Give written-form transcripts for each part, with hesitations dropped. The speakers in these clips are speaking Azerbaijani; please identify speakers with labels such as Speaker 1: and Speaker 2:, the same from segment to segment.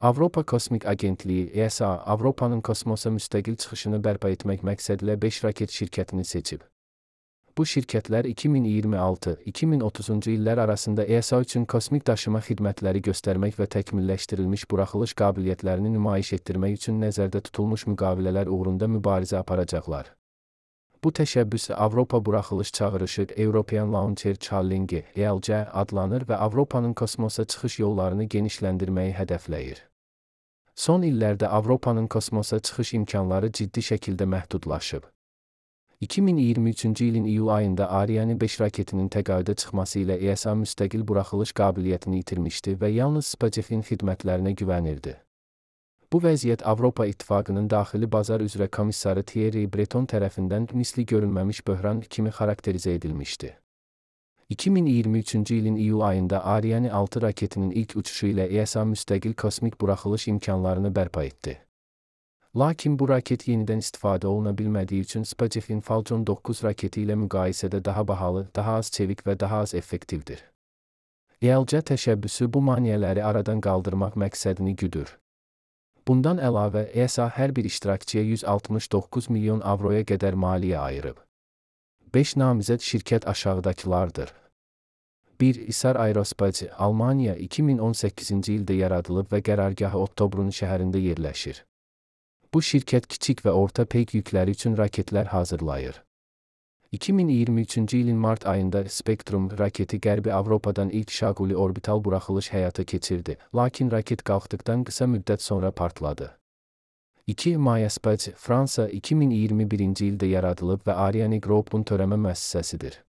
Speaker 1: Avropa Kosmik Agentliyi (ESA) Avropanın kosmosa müstəqil çıxışını bərpa etmək məqsədilə 5 raket şirkətini seçib. Bu şirkətlər 2026-2030-cu illər arasında ESA üçün kosmik daşıma xidmətləri göstərmək və təkmilləşdirilmiş buraxılış qabiliyyətlərini nümayiş etdirmək üçün nəzərdə tutulmuş müqavilələr uğrunda mübarizə aparacaqlar. Bu təşəbbüs Avropa Buraxılış Çağırışı European Launcher Challenge (ELC) adlanır və Avropanın kosmosa çıxış yollarını genişləndirməyi hədəfləyir. Son illərdə Avropanın kosmosa çıxış imkanları ciddi şəkildə məhdudlaşıb. 2023-cü ilin iyul ayında Ariane 5 raketinin təqaüdə çıxması ilə ESA müstəqil buraxılış qabiliyyətini itirmişdi və yalnız SpaceX-in xidmətlərinə güvənirdi. Bu vəziyyət Avropa İttifaqının daxili bazar üzrə komissarı Thierry Breton tərəfindən misli görülməmiş böhran kimi xarakterizə edilmişdi. 2023-cü ilin iyul ayında Ariane 6 raketinin ilk uçuşu ilə ESA müstəqil kosmik buraxılış imkanlarını bərpa etdi. Lakin bu raket yenidən istifadə oluna bilmədiyi üçün SpaceX-in Falcon 9 raketi ilə müqayisədə daha bahalı, daha az çevik və daha az effektivdir. ELC təşəbbüsü bu maneələri aradan qaldırmaq məqsədini güdür. Bundan əlavə, ESA hər bir iştirakçıya 169 milyon avroya qədər maliyyə ayırıb. 5 namizəd şirkət aşağıdakılardır. 1. İsar Aerospace, Almaniya 2018-ci ildə yaradılıb və qərargahı Ottobrun şəhərində yerləşir. Bu şirkət kiçik və orta peyk yükləri üçün raketlər hazırlayır. 2023-cü ilin mart ayında Spektrum raketi Qərbi Avropadan ilk şaquli orbital buraxılış həyata keçirdi, lakin raket qalxdıqdan qısa müddət sonra partladı. 2. Maya Space, Fransa 2021-ci ildə yaradılıb və Ariane Group'un törəmə müəssisəsidir.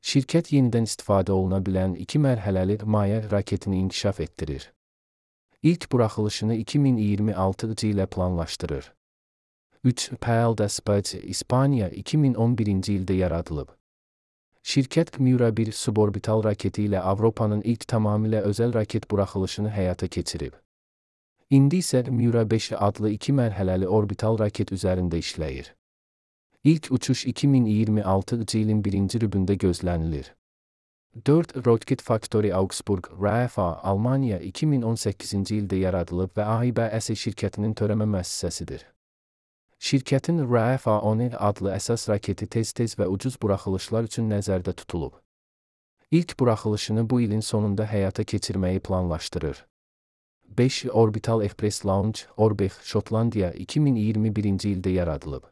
Speaker 1: Şirkət yenidən istifadə oluna bilən 2 mərhələli Maya raketini inkişaf etdirir. İlk buraxılışını 2026-cı ilə planlaşdırır. 3. Palda Space, İspaniya 2011-ci ildə yaradılıb. Şirkət Miura 1 suborbital raketi ilə Avropanın ilk tamamilə özəl raket buraxılışını həyata keçirib. İndi isə Miura 5 adlı 2 mərhələli orbital raket üzərində işləyir. İlk uçuş 2026-cı ilin 1-ci rübündə gözlənilir. 4. Rocket Factory Augsburg, RFA, Almaniya 2018-ci ildə yaradılıb və AİBS şirkətinin törəmə müəssisəsidir. Şirkətin RFA-10 adlı əsas raketi tez-tez və ucuz buraxılışlar üçün nəzərdə tutulub. İlk buraxılışını bu ilin sonunda həyata keçirməyi planlaşdırır. 5. Orbital Express Launch, Orbix, Şotlandiya 2021-ci ildə yaradılıb.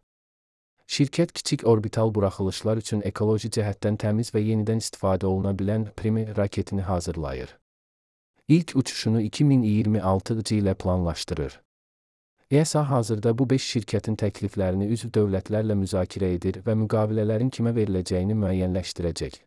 Speaker 1: Şirkət kiçik orbital buraxılışlar üçün ekoloji cəhətdən təmiz və yenidən istifadə oluna bilən Prime raketini hazırlayır. İlk uçuşunu 2026-cı ilə planlaşdırır. ESA hazırda bu 5 şirkətin təkliflərini üzv dövlətlərlə müzakirə edir və müqavilələrin kimə veriləcəyini müəyyənləşdirəcək.